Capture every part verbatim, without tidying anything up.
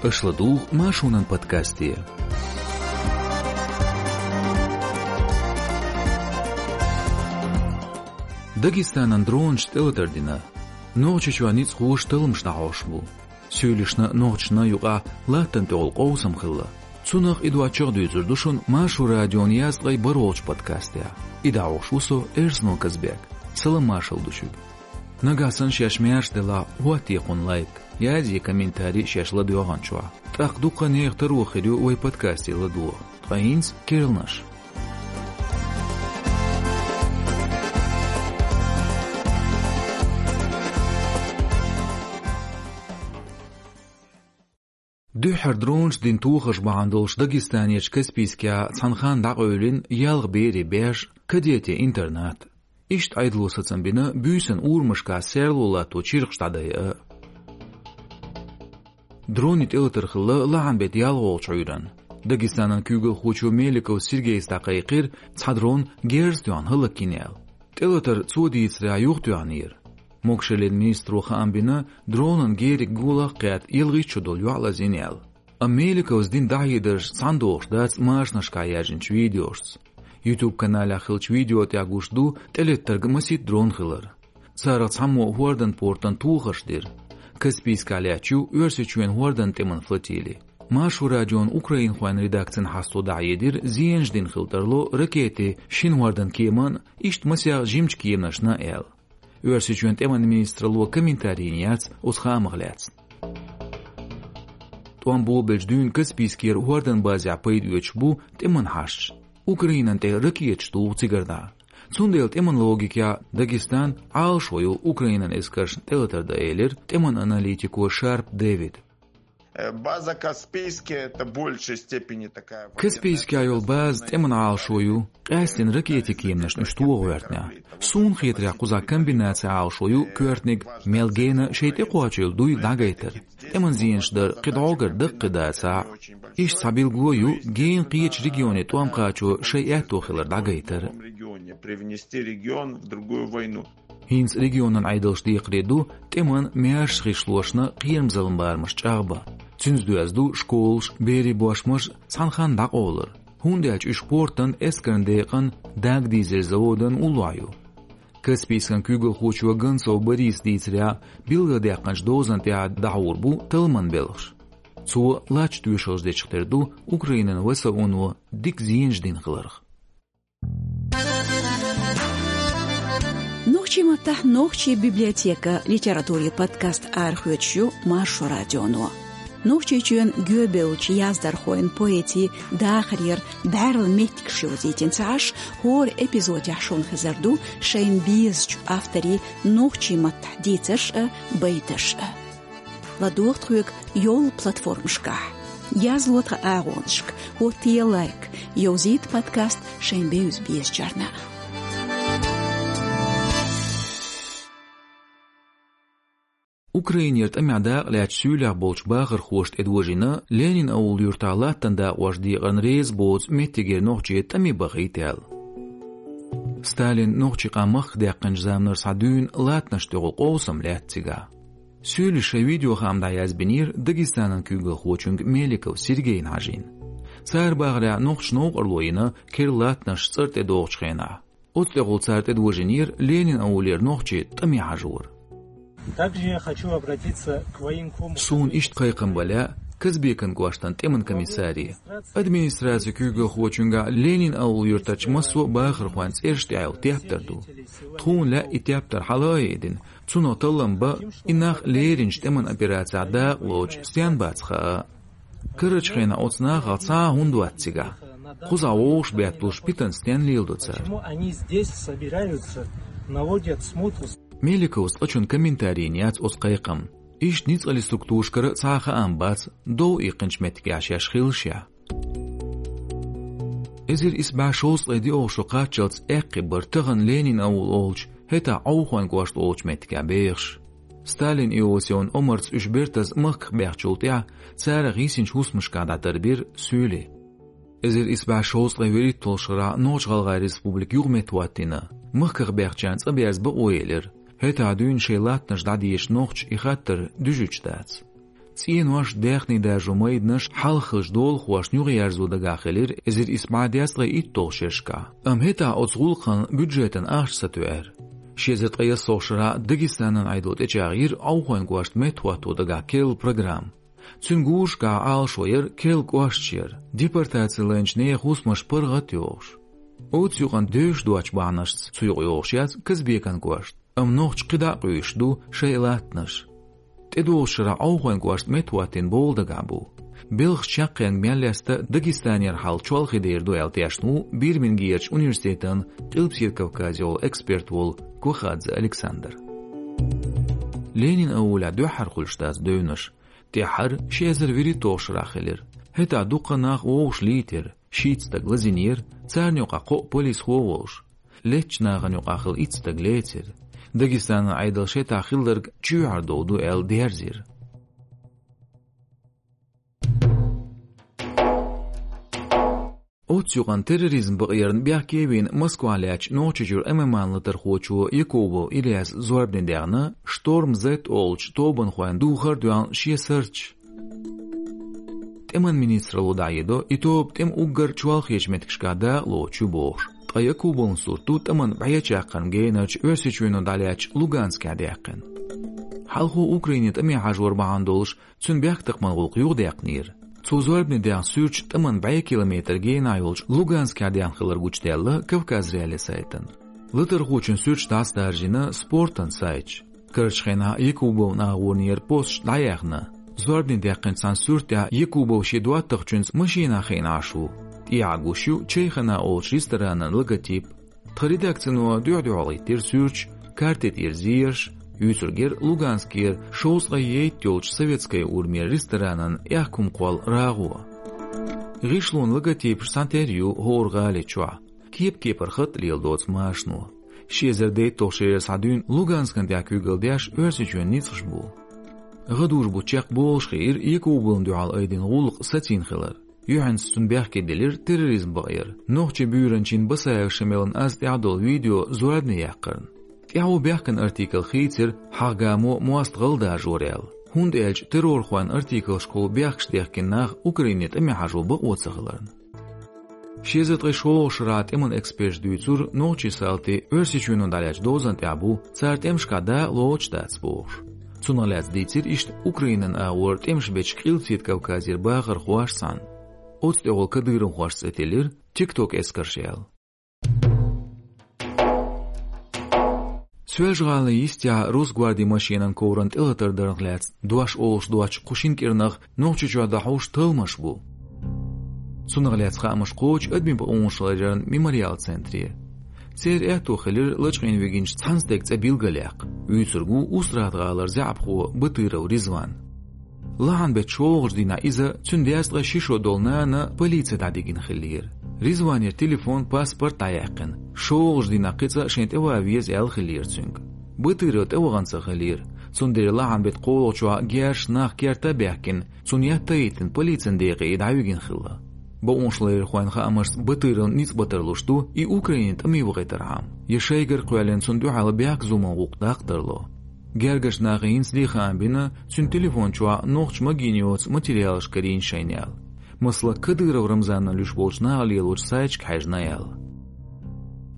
Аша ладугӀу Маршонан подкасте. Дагестанан дронашца тӀелатар дина. Нохчийчоь ницкъахоша талламаш дӀахьош бу. Суьйлашна, нохчашна юкъахь латтана тӀехула къовсам хилла. Цунах а, и доцчух а дуьйцур ду шуна Маршо радион язткъе бархӀолгӀачу подкастехь. И дӀахьош ву со, Эрсанов Казбек. Салам-маршалла ду шуьга. Нагахь санна шаьш маьрша делахь, хӀоттае кхунна лайк, язъе комментарий шаьш ладоьгӀначохь. ТӀаккха дуккха а нехан таро хир ю вай подкасте ладогӀа. Ткъа хӀинца керланаш. Дуьххьара дронашца дина тохарш бахьана долуш Дагестанерчу Каспийскехь цхьана ханна дӀакъевлина ялх берийн баьш, кадетийн интернат. Иштта Ӏедало сацам бина буьйсанна урамашкахь серло латто чиркхаш дӀадайа а. Дронийн тӀелатар хилла лахьан беттан ялхолгӀачу Ӏуьйранна. Дагестанан куьйгалхочо Меликов Сергейс дӀакхайкхира, цхьа дрон герз тоьхна хӀаллакйина аьлла. ТӀелатар, цо дийцарехь, юхатоьхнера. Могашаллин министро хаам бина, дронан гериг гулах кхетта ялхитта шо долу йоӀ лазийна аьлла. Амма Меликовс дина дӀахьедарш цхьаьна догӀуш дац машанашкахь яьржинчу видеошца. YouTube-каналехь хиллачу видео тӀехь гуш ду тӀелеттарг масийтта дрон хилар. Царах цхьаммо хӀордан портан тохарш дира. Каспийскехь лаьтташ ю Оьрсийчоьнан хӀордан тӀеман флотили. Маршо радион украинхойн редакцина хьасто дӀахьедира, зенаш дина хила тарло ракетийн шина хӀордан кеманна а, иштта масех жимачу кеманашна а аьлла. Оьрсийчоьнан тӀеман министралло комментарий йина яц оцу хаамах лаьцна. ТӀом болабелча дуьйна Каспийскера хӀордан базехь пайда оьцуш бу тӀеман хьашташ. Украинан тӀе ракеташ туху цигара дӀа. Цундела тӀеман логикехь Дагестан Ӏалашо ю Украинан эскаршна тӀелатар дан, элира тӀеман аналитико Шарп Дэвида. Э, база Каспийская — это в большей степени такая военная... Каспийскехь йолу база тӀеман Ӏалашо ю, къаьсттина ракетийн кеманашна уьш тоха гӀоьртинехь. Суна хетарехь, кхузахь комбинацин Ӏалашо ю коьртаниг мел гена шайн тӀекхочийла дуй дӀагайтар. ТӀеман зенаш дар кхин дӀогара даккхий дацахь а. Иштта цхьа билгало ю гена кхечу регионийн тӀом кхачо шайн аьтто хилар дӀагайтар. Регионе привнести регион в другую войну. ХӀинца регионан Ӏедалша декхаре ду тӀеман маьрша гӀишлошна кхерамзаллин барамаш чӀагӀбан. Цуьнца доьзна ду школаш, берийн бошмаш цхьана ханна дӀакъовлар, хӀунда аьлча уьш портан, эскаран декъан, дагадизаран заводан уллохь ю. Каспийскан куьйгалхочо Гонцов Бориса дийцарехь, билгалдаьккхинчу дозан тӀехь дӀахьур бу талламан белхаш. Цо лаьтташ тоьшаллаш дечух тера ду Украинан ВСУ-но дика зенаш дина хиларх. Нохчийн маттахь «Нохчийн библиотека» литературин подкаст арахоьцуш ю Маршо радионо. Нохчийчоьнан гӀоьнчу яздархойн, поэтийн дахарера бӀаьрла меттигаш йовзийтина ца Ӏаш, хӀора эпизодехь шуна хезар ду шайна безачу авторийн нохчийн маттахь дийцарш а, байташ а. ЛадогӀа тхоьга йолу платформашкахь. Язло тхан агӀонашка, хӀоттае лайк, йовзийта подкаст шайн бевза-безачарна. Украинера тӀамехь дакъа лаьцначу суьйлехь болчу бахархоша тӀедожийна Ленин-Аул юьртахь латтана дакъош декъарна реза боцу меттигера нохчий тӀаме бахийта аьлла. Сталина нохчийн къам махках даьккхинчу заманара схьа дуьйна латтанаш тӀехула къовсам лаьтта цигахь. Суьйлаша шайн видеохаам дӀаязбинера Дагестанан куьйгалхочуьнга Меликов Сергейна хьажийна. Цара бахарехь, нохчаша новкъарло йина керла латтанаш цӀера тӀедогӀучу хенахь. Оцу тӀехула цара тӀедожийнера Ленин-Аулера нохчий тӀаме хьажор. Также я хочу обратиться к военкому... Суна иштта кхайкхам бан лаьа Казбекан кӀоштан тӀеман комиссаре. Администрацин куьйгалхочуьнгахь Ленин-Аул юьртарчу массо а бахархойн цӀераш тӀехь йолу тептар ду. Тхуна лаьа и тептар хьала а йиъдина, цунах таллам бан, и нах леринчу тӀеман операцехь дакъа лоцуш стенна бац хаа. Карарчу хенахь оцу нахах цхьа а хӀунда вац цигахь? Кхузахь вовшах бетталуш питана стенна леладо цара? Почему они здесь собираются, наводят смуту? Меликовс цкъачунна комментарий йина яц оцу кхайкхамна. Иштта ницкъаллин структурашкара цхьа а хаам бац, дов иккхинчу меттигехь шаьш хилла шех. Эзар исс бӀе шовзткъе диъолгӀа шо кхаччалц аьккхий бара тахана Ленин-Аул олучу, хӀетахь Ӏовхойн кӀошт олучу меттигехь бехаш. Сталина Иосифан омарца уьш бертаза махках баьхначул тӀаьхьа царах йисинчу хӀусамашкахь дӀатарбира суьйлий. Эзар исс бӀе шовзткъе вуьрхӀитталгӀачу шарахь Нохч-ГӀалгӀайн Республика юхаметтахӀоттийна, махках баьхначарна цӀа берза бакъо елира, хӀетахь дуьйна шайн латтанаш дӀадеша нохчаша и хаттар дуьжуьйтуш дац. ЦӀенош, даьхни даржо майданаш хьалха хиллачу долахошна юхаерзо дагахь хилира эзар исс бӀе дезткъе итталгӀачу шерашкахь. Амма хӀетахь оцу гӀуллакхна бюджетан ахча сатоьар. Ши эзар ткъе ялхолгӀачу шарахь Дагестанан Ӏедало тӀечӀагӀйира Ӏовхойн кӀошта меттахӀотто дагахь керла программа. Цуьнан гурашкахь Ӏалашо яра керла кӀошташ яр, депортаци лайначу нехан хӀусамаш паргӀат а йохуш. Оцу юкъана девзаш доцчу бахьанашца цу юкъа йогӀуш яц Казбекан кӀошта, амма нохчаша кхидӀа а къуьйсуш ду шайн латтанаш. ТӀедогӀучу шарахь Ӏовхойн кӀошта меттахӀоттийна бовла дагахь бу. Белхаш чекхъенга мел лаьцна Дагестанера хьал чолхе дер ду аьлла тешна ву Бирмингемерчу университетан Къилбаседа Кавказехула эксперт волу Кохадзе Александр. Ленин-Аулехь дуьххьара хуьлуш дац девнаш. ТӀаьххьара ши эзар вуьрхӀитталгӀачу шарахь хилира. ХӀетахь дуккха нах вовшах лийтира, шийтта стаг лазийнера, царна юкъахь кхоъ полисхо а волуш. Леттачу нахана юкъахь хилла итт стаг лецира. Дагестанан Ӏедалша хӀетахь хилларг чоьхьара дов ду аьлла дерзийра. Оццу юкъана терроризм бакъонна бехке а вина Москвахь лаьттачу Нохчийчуьра ММА-н латархочо Якубов Ильяса зорбане даьхна «Шторм Зет» олучу тобанхойн духар а доьхна шен сурташ. ТӀеман министралло дӀахьедо, и тоба тӀеман уггар чолхечу меттигашкахь дакъалоцуш ю бохуш. Ткъа Якубовн сурт ду тӀаман бӀе чаккхарма генарчу Оьрсийчоьно дӀалаьцначу Луганскехь даьккхина. Хьалхо Украинин тӀаме хьажор бахьана долуш цуьнан бехктакхаман гӀуллакх юхадаьккхинера. Цо зорбане даьхна суьрташ тӀаман бӀе километр генахь йолчу Луганскехь даьхна хилар гучудаьлла Кавказ.Реалии сайтана. Латархочун суьрташ дӀасадаржийна спортан сайташа. Карарчу хенахь Якубовн агӀонера посташ дӀаяьхна. Зорбане даьккхинчу цхьана суьртехь Якубов шен доттагӀчуьнца машенахь хиъна Ӏаш ву. ТӀехьа гуш ю «Чайхана» олучу ресторанан логотип. Тхан редакцино дуьхь-дуьхьал хӀиттира суьрташ, карте тӀера зераш, юьйцург яра Луганскера шовзткъе ейтта йолчу советская урамера ресторанан аьхка хӀума кхолла рагӀо. ГӀишлонан логотипаш цхьатерра ю хӀора гӀали чохь, кеп-кепара хатӀ леладоцу машано. Ши эзар дейтталгӀачу шерера схьа дуьйна Луганскна тӀехь куьйгалла деш Оьрсийчоьнан ницкъаш бу. ГӀадужу-бутт чекхболуш хиира Якубовна дуьхьал айдина гӀуллакх сацийна хилар. Юьхьанца цунна бехке делира терроризм бакъонна, нохчийн буьйранчин Басаев Шамилан аз тӀехь долу видео зорбане яккхарна. ТӀаьхьо бехкан артикл хийцира хьагӀ-гамо мостагӀалла даржор аьлла, хӀунда аьлча террорхойн артиклашкахула бехкаш дехкина нах Украине тӀаме хьажо бакъо ца хиларна. Ши эзар ткъе шолгӀачу шарахь тӀеман эксперташа дуьйцура, нохчийн салти Оьрсийчоьно дӀалаьцначу дозанна тӀехь бу, цара тӀемашкахь дакъалоцуш дац бохуш. Цунах лаьцна дийцира иштта Украинан агӀор тӀемаш бечу Къилбаседа Кавказера бахархоша цхьаьна. Оцу тӀехула кадыровхошца цӀе тиллира «ТикТок эскарш» аьлла. Соьлжа-ГӀалин йистехь Росгвардин машенан коврана тӀелатар дарх лаьцна дош олуш доцчу кху шина кӀирнах Нохчийчохь дӀахьуш талламаш бу. Цунах лаьцна хаамаш кхочу адамийн бакъонаш ларъяран «Мемориал» центре. Церан аьтто хилира лачкъийна вигинчу цхьана стеган цӀе билгалъяккха. Вуьйцург ву Устрада-ГӀалара заьӀапхо Батыров Ризван. Лахьан-беттан шолгӀачу дийнахь иза, цуьнан дезткъе ши шо долу нана полице дӀадигина хиллера. Ризванера телефон, паспорт дӀаяьккхина. ШолгӀачу дийнахь кхин цкъа шайна тӀеван веза аьлла хиллера цуьнга. Батыров тӀевахана ца хиллера. Цундела лахьан-беттан кхоалгӀачохь герзаш нах керта а баьхкина, цунна етта а йиттина, полицин декъе и дӀавигина хилла. Бакъонашларъярхойн хаамашца, Батыровн ницкъ бан тарлуш ду и Украине тӀаме вахийтархьама, я шайгара кхоьллина цунна дуьхьал бехк-зуламан гӀуллакх даккха тарло. Гергарчу нахе хӀинцале а хаам бина, цуьнан телефон чохь нохчаша магийна йоцу материалаш карийна шайна аьлла. Масала, Кадыров Рамзанна луьйш болчу наха лелочу сайташка хьаьжна аьлла.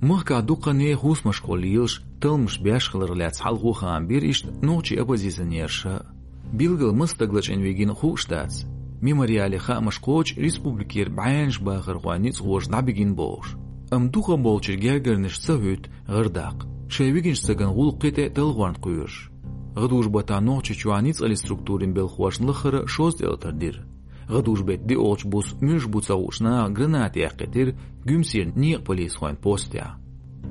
Махкахь дуккха а нехан хӀусамашкахула лелаш, талламаш беш хиларх лаьцна хьалхо а хаам бира иштта нохчийн оппозиционерша. Билггал маса стаг лачкъийна вигина хууш дац. «Мемориале» хаамаш кхочу республикера бӀеннаш бахархойн ницкъахоша дӀабигина бохуш. Амма дукхахболчеран гергарнаш ца хӀуьтту гӀардаккха, шайн вигинчу стагана гӀуллакх кхин тӀе а талхорна кхоьруш. ГӀадужу-баттахь Нохчийчохь ницкъаллин структурийн белхахошна лаххара шозза тӀелатар дира. ГӀадужу-беттан диъолгӀачу буса муьлш бу ца хууш наха гранаты эккхийтира Гуьмсера некъан полисхойн постехь.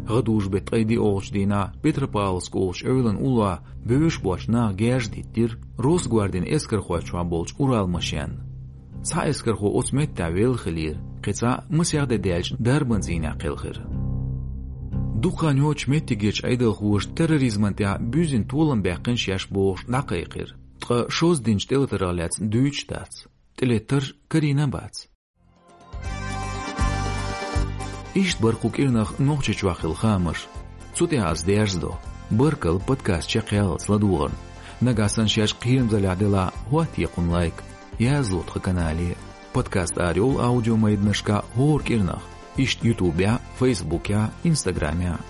ГӀадужу-беттан ткъе диъолгӀачу дийнахь Петропавловск олучу эвлан уллохь бевзаш боцчу наха герз диттира, Росгвардин эскархой чохь болчу «Урал» машенна. Цхьа эскархо оцу меттехь велла хиллера, кхин цхьаъ масех де даьлча дарбан цӀийнехь кхелхира. Дукха хан йоццуш меттигерчу Ӏедалхоша терроризмана тӀехь буьззина толам баьккхина шаьш бохуш дӀакхайкхира. Ткъа шозза динчу тӀелатарх лаьцна дуьйцуш дац. ТӀелеттарш карийна а бац. Иштта бара кху кӀирнах Нохчийчохь хилла хаамаш. Цу тӀехь ас дерзадо. Баркалла подкаст чекхъяллалц ладогӀарна. Нагахь санна шаьш кхерамзаллехь делахь, хӀоттае кхунна лайк, язло тхан канале. Подкаст арайолу аудиомайданашкахь хӀора кӀирнах, иштта Ютубехь, Фейсбукехь, Инстаграмехь.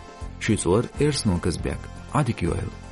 Шуьца вара Эрсанов Казбек. Ӏадика йойла.